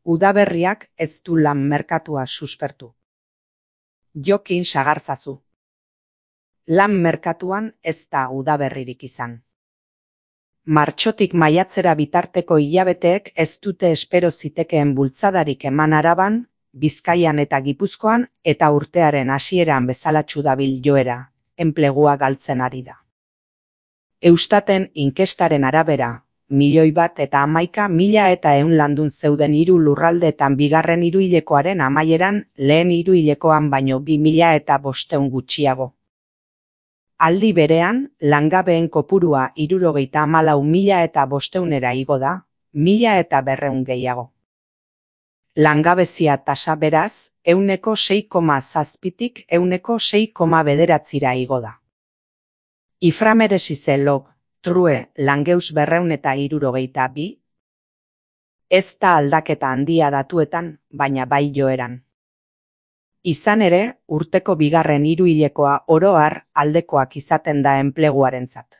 Udaberriak ez du lan merkatua suspertu. Jokin sagarzazu. Lan merkatuan ez da udaberririk izan. Martxotik maiatzera bitarteko hilabeteek ez dute espero zitekeen bultzadarik eman Araban, Bizkaian eta Gipuzkoan eta urtearen hasieran bezalatsu dabil joera, enplegua galtzen ari da. Eustaten inkestaren arabera, 1.011.100 landun zeuden 3 lurraldeetan bigarren hiruhilekoaren amaieran lehen hiruhilekoan baino 2.500 gutxiago. Aldi berean, langabeen kopurua 74.500 igo da, 1.200 gehiago. Langabezia tasa beraz, 6,7tik 6,9 igo da. Iframeresize log, true, langeus 262. Ez da aldaketa handia datuetan, baina bai joeran. Izan ere, urteko bigarren hiruhilekoa oro har aldekoak izaten da enpleguarentzat.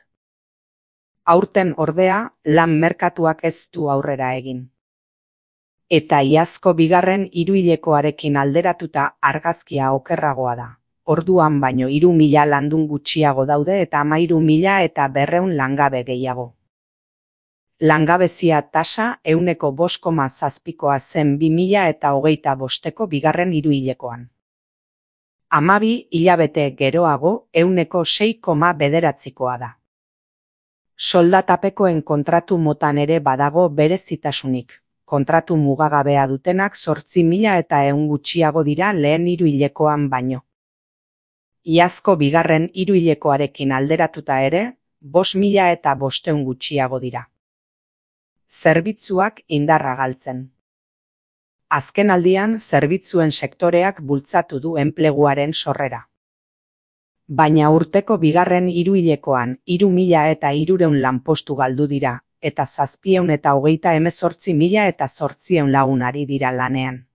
Aurten ordea, lan merkatuak ez du aurrera egin. Eta iazko bigarren hiruhilekoarekin alderatuta argazkia okerragoa da. Orduan baino 3.000 landun gutxiago daude eta 13.200 langabe gehiago. Langabezia tasa 5,7koa zen 2025ko bigarren hiruhilekoan. 12 hilabete geroago 6,9koa da. Soldatapekoen kontratu motan ere badago berezitasunik. Kontratu mugagabea dutenak 8.100 gutxiago dira lehen hiruhilekoan baino. Iazko bigarren hiruhilekoarekin alderatuta ere, 5.500 gutxiago dira. Zerbitzuak indarra galtzen. Azkenaldian zerbitzuen sektoreak bultzatu du enpleguaren sorrera. Baina urteko bigarren hiruhilekoan 3.300 lanpostu galdu dira, eta 738.800 lagun ari dira lanean.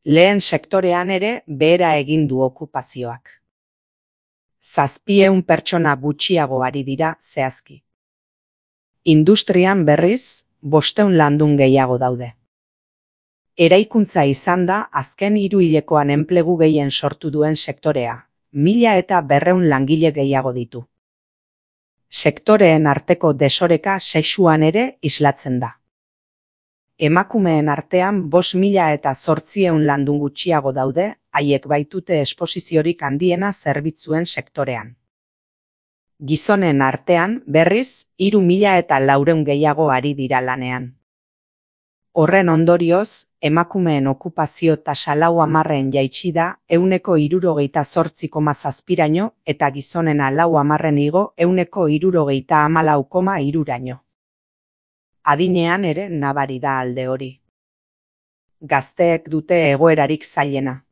Lehen sektorean ere behera egin du okupazioak. 700 pertsona gutxiago ari dira zehazki. Industrian berriz, 500 landun gehiago daude. Eraikuntza izan da azken hiruhilekoan enplegu gehien sortu duen sektorea, 1.200 langile gehiago ditu. Sektoreen arteko desoreka sexuan ere islatzen da. Emakumeen artean 5.800 landun gutxiago daude, haiek baitute esposiziorik handiena zerbitzuen sektorean. Gizonen artean, berriz, 3.400 gehiago ari dira lanean. Horren ondorioz, emakumeen okupazio tasa 10 jaitsi da 68,7%, eta gizonena 10 igo 74,3%. Adinean ere nabari da alde hori. Gazteek dute egoerarik zailena.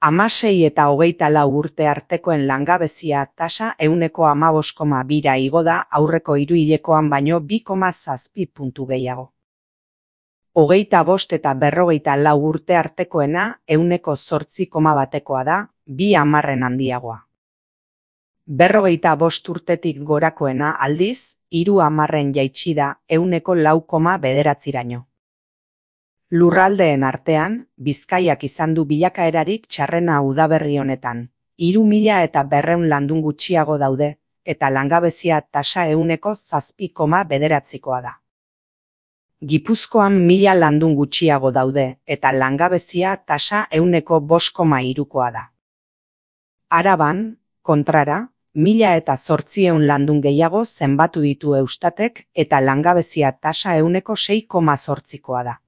16 eta 24 urte artekoen langabezia tasa 15,2 igo da aurreko hiruhilekoan baino 2,7 puntu gehiago. 25 eta 44 urte artekoena 8,1 da, 2 handiagoa. 45 urtetik gorakoena aldiz, 3 jaitsi da 4,9. Lurraldeen artean, Bizkaiak izan du bilakaerarik txarrena udaberri honetan. 3.200 landun gutxiago daude, eta langabezia tasa 7,9koa da. Gipuzkoan 1.000 landun gutxiago daude, eta langabezia tasa 5,3koa da. Araban, kontrara, 1.800 landun gehiago zenbatu ditu Eustatek eta langabezia tasa 6,8koa da.